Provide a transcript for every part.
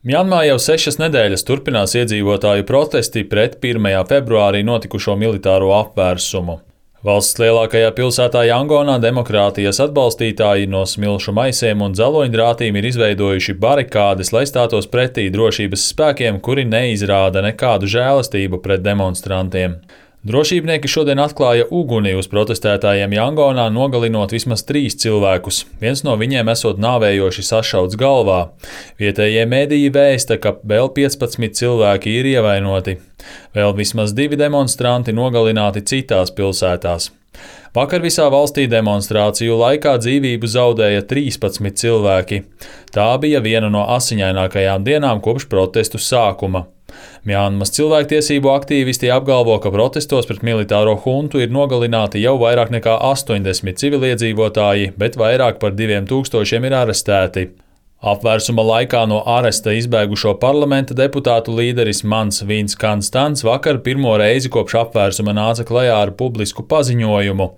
Mjanmā jau 6 nedēļas turpinās iedzīvotāju protesti pret 1. februārī notikušo militāro apvērsumu. Valsts lielākajā pilsētā Jangonā demokrātijas atbalstītāji no smilšu maisiem un dzeloņdrātīm ir izveidojuši barikādes, lai stātos pretī drošības spēkiem, kuri neizrāda nekādu žēlastību pret demonstrantiem. Drošībnieki šodien atklāja uguni uz protestētājiem Jangonā, nogalinot vismaz 3 cilvēkus. Viens no viņiem esot nāvējoši sašauts galvā. Vietējie mediji vēsta, ka vēl 15 cilvēki ir ievainoti. Vēl vismaz 2 demonstranti nogalināti citās pilsētās. Vakar visā valstī demonstrāciju laikā dzīvību zaudēja 13 cilvēki. Tā bija viena no asiņainākajām dienām kopš protestu sākuma. Mjanmas cilvēktiesību aktīvisti apgalvo, ka protestos pret militāro huntu ir nogalināti jau vairāk nekā 80 civiliedzīvotāji, bet vairāk par 2000 ir arestēti. Apvērsuma laikā no aresta izbēgušo parlamenta deputātu līderis Mans Vīns Kanstants vakar pirmo reizi kopš apvērsuma nāca klajā ar publisku paziņojumu.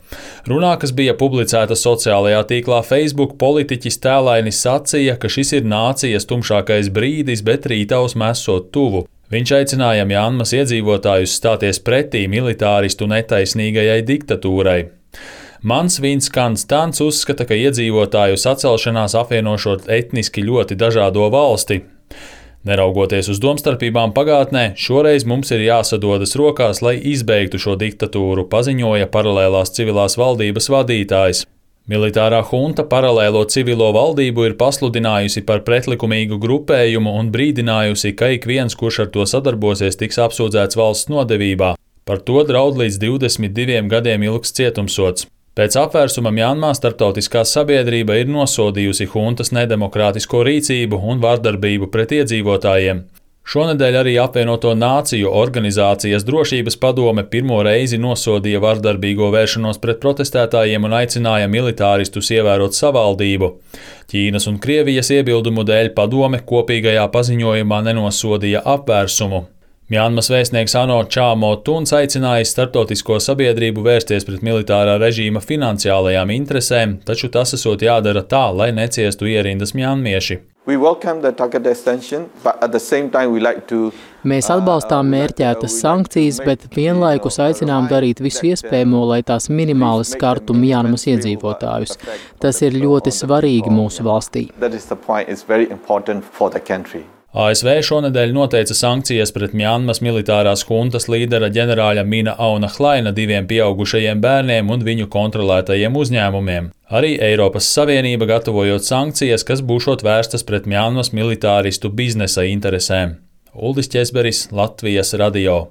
Runā, kas bija publicēta sociālajā tīklā Facebook, politiķis tēlaini sacīja, ka šis ir nācijas tumšākais brīdis, bet rītausma esot tuvu. Viņš aicināja Mjanmas iedzīvotājus stāties pretī militāristu netaisnīgajai diktatūrai. Mans Vīns Kanstants uzskata, ka iedzīvotāju sacelšanās apvienošot etniski ļoti dažādo valsti. Neraugoties uz domstarpībām pagātnē, šoreiz mums ir jāsadodas rokās, lai izbeigtu šo diktatūru, paziņoja paralēlās civilās valdības vadītājs. Militārā hunta paralēlo civilo valdību ir pasludinājusi par pretlikumīgu grupējumu un brīdinājusi, ka ik viens, kurš ar to sadarbosies, tiks apsūdzēts valsts nodevībā. Par to draud līdz 22 gadiem ilgs cietumsods. Pēc apvērsuma Mjanmā starptautiskā sabiedrība ir nosodījusi huntas nedemokrātisko rīcību un vardarbību pret iedzīvotājiem. Šonedēļ arī apvienoto nāciju organizācijas drošības padome pirmo reizi nosodīja vardarbīgo vēršanos pret protestētājiem un aicināja militāristus ievērot savaldību. Ķīnas un Krievijas iebildumu dēļ padome kopīgajā paziņojumā nenosodīja apvērsumu. Mjanmas vēstnieks ANO Čāmo Tuns aicinājis starptautisko sabiedrību vērsties pret militārā režīma finansiālajām interesēm, taču tas esot jādara tā, lai neciestu ierindas mjanmieši. Mēs atbalstām mērķētas sankcijas, bet vienlaikus aicinām darīt visu iespējamo, lai tās minimāli skartu Mjanmas iedzīvotājus. Tas ir ļoti svarīgi mūsu valstī. ASV šonedēļ noteica sankcijas pret Mjanmas militārās huntas līdera ģenerāļa Mina Auna Hlaina 2 pieaugušajiem bērniem un viņu kontrolētajiem uzņēmumiem. Arī Eiropas Savienība gatavojot sankcijas, kas būšot vērstas pret Mjanmas militāristu biznesa interesēm. Uldis Ķesberis, Latvijas radio.